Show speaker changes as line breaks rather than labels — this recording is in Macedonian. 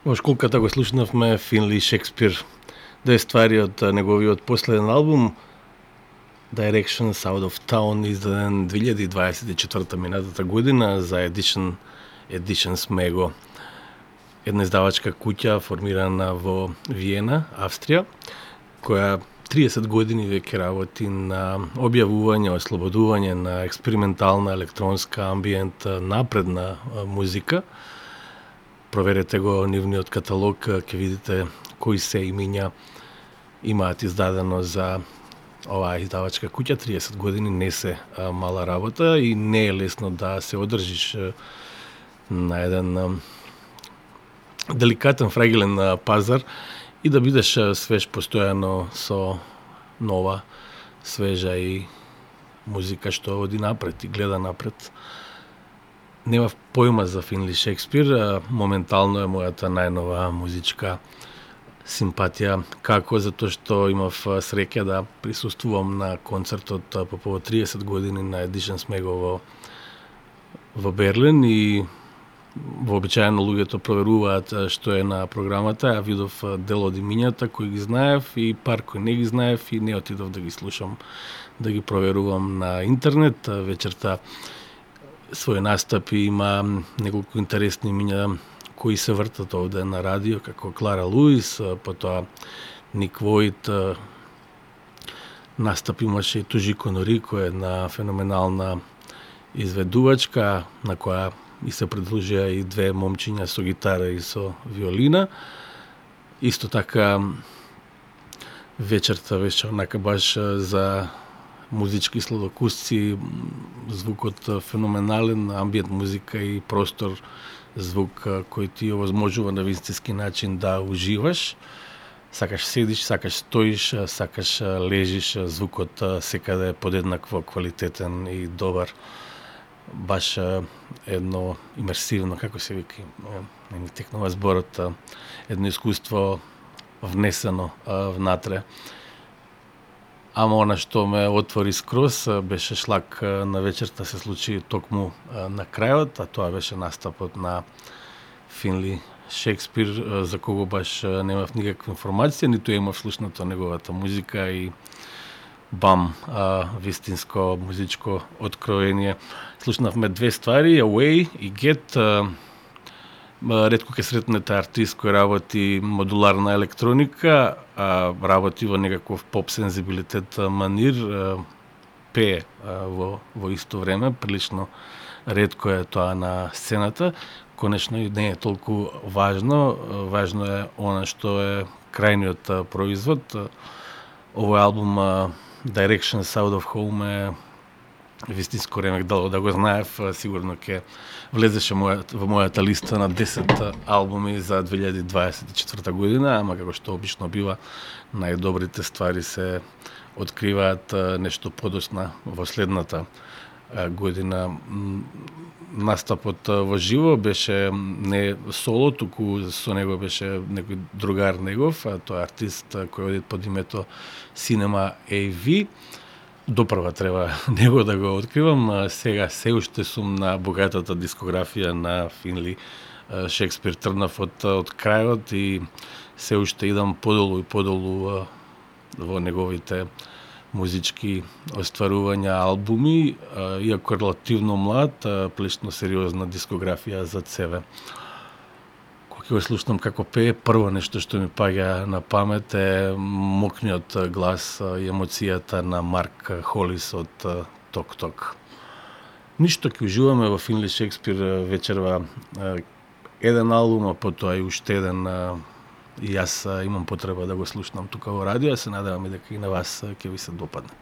Во школката го слушнавме Финли Шекспир, две ствари од неговиот последен албум Directions Out of Town, издаден 2024 минатата година за Editions Mego, една издавачка куќа формирана во Виена, Австрија, која 30 години веќе работи на објавување, ослободување на експериментална електронска амбиент напредна музика. Проверете го нивниот каталог, ќе видите кои се имиња имаат издадено за оваа издавачка куќа. 30 години не се мала работа и не е лесно да се одржиш на еден деликатен, фрагилен пазар и да бидеш свеж постојано со нова, свежа и музика што оди напред и гледа напред. Немав појма за Финли Шекспир, моментално е мојата најнова музичка симпатија, како затоа што имав среќа да присуствувам на концертот по повод 30 години на Editions Mego во Берлин и вообичаено луѓето проверуваат што е на програмата. Ја видов дел од имињата кои ги знаев и пар кои не ги знаев и не отидов да ги слушам, да ги проверувам на интернет. Вечерта свој настапи има неколку интересни имиња кои се вртат овде на радио, како Клара Луис, потоа Ник Воит, настап имаше и Тужико Норико, една феноменална изведувачка, на која и се придружија и две момчиња со гитара и со виолина. Исто така, вечерта беше онака баш за музички сладокусци, звукот феноменален, амбиент музика и простор, звук кој ти овозможува на вистински начин да уживаш. Сакаш седиш, сакаш стоиш, сакаш лежиш, звукот секаде е подеднакво квалитетен и добар. Баш едно имерсивно, како се вика, не ми текнува зборот, едно искуство внесено внатре. Ама она што ме отвори скроз беше шлак на вечерта се случи токму на крајот, а тоа беше настапот на Финли Шекспир, за кого баш немав никаква информација, ниту имав слушнато неговата музика и бам, вистинско музичко откровение. Слушнавме две ствари, Away и Get. Ретко ќе сретнете артист кој работи модуларна електроника, работи во некаков поп сензибилитет манир, пее во исто време, прилично ретко е тоа на сцената. Конечно и не е толку важно, важно е она што е крајниот производ. Овој албум Directions Out of Home е вистинско ремек, да го знаев, сигурно ќе влезеше во мојата листа на 10 албуми за 2024 година, ама како што обично бива, најдобрите ствари се откриваат нешто подоцна во следната година. Настапот во живо беше не соло, туку со него беше некој другар негов, тоа е артист кој оди под името Cinema AV. Допрва треба него да го откривам. Сега се уште сум на богатата дискографија на Финли Шекспир. Тргнав од крајот и се уште идам подолу и подолу во неговите музички остварувања, албуми, иако релативно млад, плечно сериозна дискографија зад себе. Кога ќе го слушнам како пее, прво нешто што ми паѓа на памет е мокниот глас и емоцијата на Марк Холис од Ток-Ток. Ништо ќе уживаме во Финли Шекспир вечерва еден албум, а потоа и уште еден, и јас имам потреба да го слушнам тука во радио, се надевам и дека и на вас ќе ви се допадне.